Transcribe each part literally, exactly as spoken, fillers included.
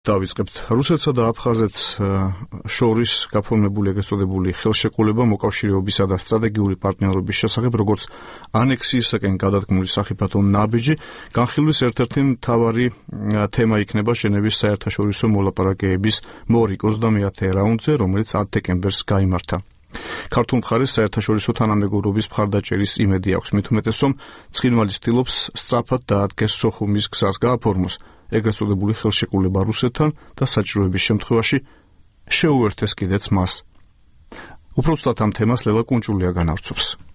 დავიწყებთ. რუსეთსა და აფხაზეთს შორის გაფორმებული ეგრეთ წოდებული ხელშეკრულება მოკავშირეობისა და სტრატეგიული პარტნიორობის შესახებ, როგორც ანექსიისაკენ გადადგმული სახიფათო ნაბიჯი, განხილვის ერთ-ერთი მთავარი თემა იქნება ჟენევის საერთაშორისო მოლაპარაკებების მორიგ ოცდამეათე რაუნდზე, რომელიც ათ დეკემბერს გაიმართა. ქართულ მხარეს საერთაშორისო თანამეგობრობის მხარდაჭერის იმედი აქვს, მით უმეტეს, რომ ცხინვალი ცდილობს სწრაფად დაადგეს სოხუმის გზას გააფორმოს ეგრეთ წოდებული ხელშეკრულება რუსეთთან და საჭიროების შემთხვევაში შეუერთეს კიდეც მას. უბრალოდ ამ თემას ლელა კუნჭულია განავრცობს.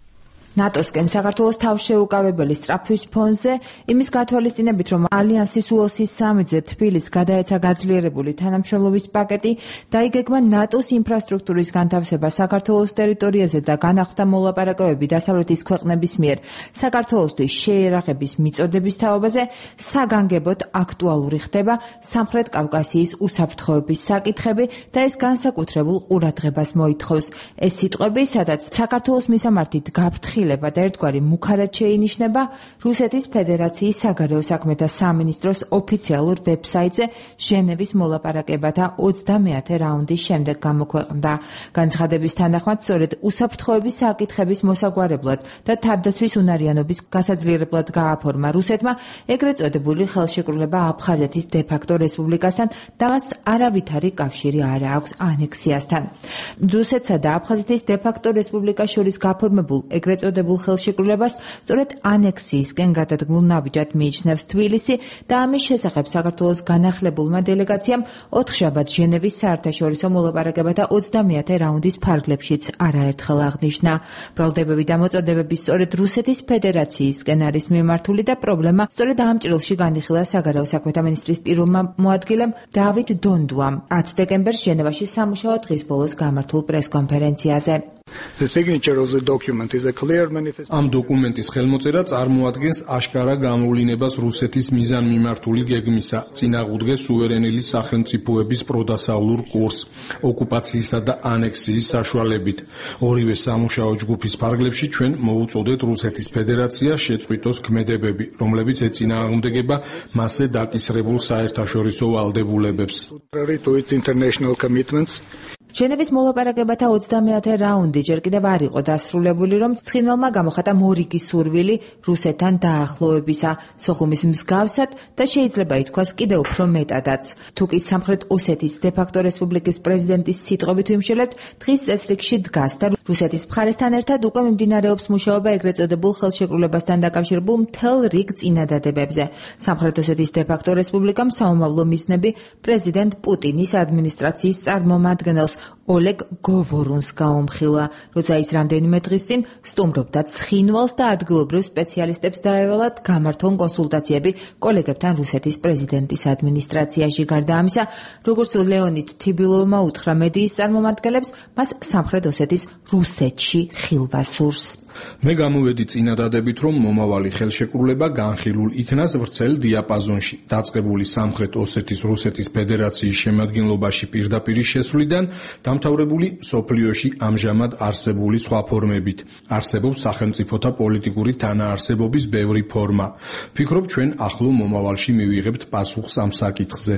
ნატოსკენ საქართველოს თავშეუკავებელი სწრაფვის ფონზე იმის გათვალისწინებით, რომ ალიანსის უელსის სამიძე თბილისს გადაეცა გაძლიერებული თანამშრომლობის პაკეტი, დაიგეგმა ნატოს ინფრასტრუქტურის განთავსება საქართველოს ტერიტორიაზე და განახლდა მოლაპარაკებები დასავლეთის ქვეყნების მიერ საქართველოსთვის შეერაღების მიწოდების თაობაზე, საგანგებოდ აქტუალური ხდება სამხრეთ კავკასიის უსაფრთხოების საკითხები და ეს განსაკუთრებულ ყურადღებას მოითხოვს. ეს სიტყვები, სადაც საქართველოს მისამართით გაფრთხილება და ერთგვარი მუქარად შეინიშნება, რუსეთის ფედერაციის საგარეო საქმეთა სამინისტროს ოფიციალურ ვებსაიტზე ჟენევის მოლაპარაკებათა ოცდამეათე რაუნდის შემდეგ გამოქვეყნდა. განცხადების თანახმად, სწორედ უსაფრთხოების საკითხების მოსაგვარებლად და თავდაცვის უნარიანობის გასაძლიერებლად გააფორმა რუსეთმა ეგრეთ წოდებული ხელშეკრულება აფხაზეთის დე-ფაქტო რესპუბლიკასთან და მას არავითარი კავშირი არ აქვს ანექსიასთან. რუსეთსა და აფხაზეთის დე-ფაქტო რესპუბლიკას შორის გაფორმებულ ეგრეთ წოდებულ ხელშეკრულებას სწორედ ანექსიისკენ გადადგმულ ნაბიჯად მიიჩნევს თბილისი და ამის შესახებ საქართველოს განახლებულმა დელეგაციამ ოთხშაბათს ჟენევის საერთაშორისო მოლაპარაკებათა ოცდამეათე რაუნდის ფარგლებშიც არაერთხელ აღნიშნა. ბრალდებები და მოწოდებები სწორედ რუსეთის ფედერაციისკენ არის მიმართული და პრობლემა სწორედ ამ ჭრილში განიხილა საგარეო საქმეთა მინისტრის პირველმა მოადგილემ დავით დონდუამ ათ დეკემბერს ჟენევაში სამუშაო დღის ბოლოს გამართულ პრესკონფერენციაზე. ამ დოკუმენტის ხელმოწერა წარმოადგენს აშკარა გამოვლინებას რუსეთის მიზანმიმართული გეგმისა, წინააღმდეგ სუვერენული სახელმწიფოების პროდასავლურ კურსს, ოკუპაციისა და ანექსიის საშუალებით. ორივე სამუშაო ჯგუფის ფარგლებში ჩვენ მოუწოდეთ რუსეთის ფედერაციას შეწყვიტოს ქმედებები, რომლებიც ეწინააღმდეგება მასზე დაკისრებულ საერთაშორისო ვალდებულებებს. ჟენევის მოლაპარაკებათა ოცდამეათე რაუნდი ჯერ კიდევ არ იყო დასრულებული, რომ ცხინვალმა გამოხატა მორიგი სურვილი რუსეთთან დაახლოებისა, სოხუმის მსგავსად და შეიძლება ითქვას კიდევ უფრო მეტადაც. თუკი სამხრეთ ოსეთის დე-ფაქტო რესპუბლიკის პრეზიდენტის სიტყვებით ვიმშელებთ, დღის წესრიგში დგას და რუსეთის მხარესთან ერთად უკვე მიმდინარეობს მუშაობა ეგრეთ წოდებულ ხელშეკრულებასთან დაკავშირებულ მთელ რიგ წინადადებებზე. სამხრეთ ოსეთის დე-ფაქტო რესპუბლიკამ საომავლო მიზნები პრეზიდენტ პუტინის ადმინისტრაციის წარმომადგენელს ოლეგ გოვორუნს გაუმხილა, როცა ის რამდენიმე დღის წინ სტუმრობდა ცხინვალს და ადგილობრივ სპეციალისტებს დაევალათ გამართონ კონსულტაციები კოლეგებთან რუსეთის პრეზიდენტის ადმინისტრაციაში. გარდა ამისა, როგორც ლეონიდ თიბილოვმა უთხრა მედიის წარმომადგენლებს, მას სამხრეთ ოსეთის რუსეთში ხილვა სურს. მე გამოვედი წინადადებით, რომ მომავალი ხელშეკრულება განხილულ იქნას ვრცელ დიაპაზონში, დაწყებული სამხრეთ ოსეთის რუსეთის ფედერაციის შემადგენლობაში პირდაპირი შესვლიდან, დამთავრებული მსოფლიოში ამჟამად არსებული სხვა ფორმებით. არსებობს სახელმწიფოთა პოლიტიკური თანაარსებობის ბევრი ფორმა. ვფიქრობ, ჩვენ ახლო მომავალში მივიღებთ პასუხს ამ საკითხზე.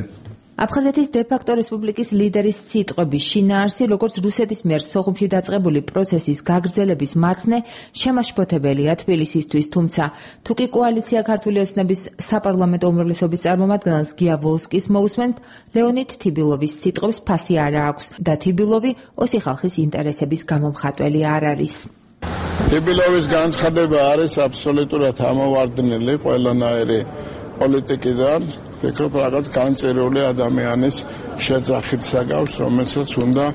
აფხაზეთის დე-ფაქტო რესპუბლიკის ლიდერის სიტყვების შინაარსი, როგორც რუსეთის მიერ სოხუმში დაწყებული პროცესის გაგრძელების მაცნე, შემაშფოთებელია თბილისისთვის, თუმცა თუკი კოალიცია ქართული ოცნების საპარლამენტო უმრავლესობის წარმომადგენელს გია ვოლსკის მოусმენთ, ლეონიდ თიბილოვის სიტყვებს ფასი არ აქვს და თიბილოვი ოსი ხალხის ინტერესების გამომხატველი არ არის. თიბილოვის განცხადება არის აბსოლუტურად ამოვარდნილი ყველანაირი პოლიტიკიდან, ვფიქრობ, რაღაც განწერული ადამიანის შეძახით საგავს, რომელსაც უნდა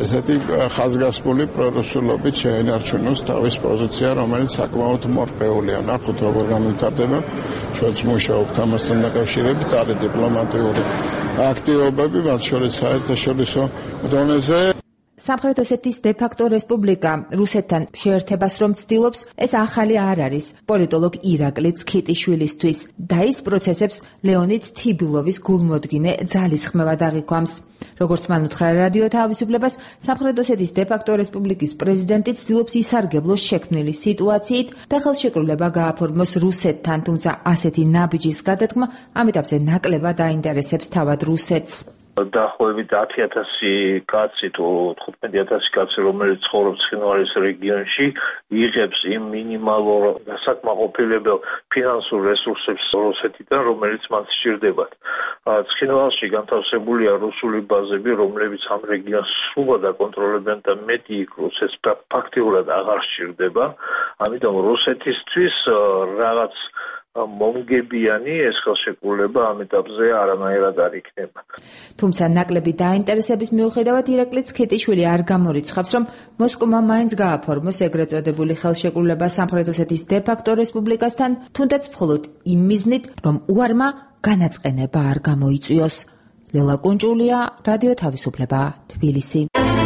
ესეთი ხაზგასმული პრორუსულობით შეენარჩუნოს თავის პოზიცია, რომელიც საკმაოდ მორყეულია. ნახოთ, როგორ განვითარდება, ჩვენც მუშაობთ ამასთან დაკავშირებით, არის დიპლომატიური აქტივობები, მათ შორის საერთაშორისო დონეზე. სამხრეთ ოსეთის დე-ფაქტო რესპუბლიკა რუსეთთან შეერთებას რომ ცდილობს, ეს ახალი არ არის პოლიტოლოგ ირაკლი ცქიტიშვილისთვის და ის პროცესებს ლეონიდ თიბილოვის გულმოდგინე ძალისხმევად აღიქვამს. როგორც მან უთხრა რადიო თავისუფლებას, სამხრეთ ოსეთის დე-ფაქტო რესპუბლიკის პრეზიდენტი ცდილობს ისარგებლოს შექმნილი სიტუაციით და ხელშეკრულება გააფორმოს რუსეთთან, თუმცა ასეთი ნაბიჯის გადადგმა ამ ეტაპზე ნაკლებად აინტერესებს თავად რუსეთს. დაახლოებით ათი ათასი კაცი თუ თხუთმეტი ათასი კაცი, რომელიც ცხოვრობს ცხინვალის რეგიონში, იღებს იმ მინიმალურ დასაკმაყოფილებელ ფინანსურ რესურსებს რუსეთიდან, რომელიც მას სჭირდებათ. ცხინვალში განთავსებულია რუსული ბაზები, რომლებიც ამ რეგიონს სრულად აკონტროლებენ და მეტი იქ რუსეთს ფაქტიურად აღარ სჭირდება. ამიტომ რუსეთისთვის რაღაც მომგებიანი ეს ხელშეკრულება ამ ეტაპზე არანაირად არ იქნება. თუმცა ნაკლები დაინტერესების მიუხედავად ირაკლი ცქეტიშვილი არ გამორიცხავს, რომ მოსკოვმა მაინც გააფორმოს ეგრეთ წოდებული ხელშეკრულება სამხრეთ ოსეთის დე-ფაქტო რესპუბლიკასთან, თუნდაც მხოლოდ იმ მიზნით, რომ უარმა განაწყენება არ გამოიწვიოს. ლელა კუნჭულია, რადიო თავისუფლება, თბილისი.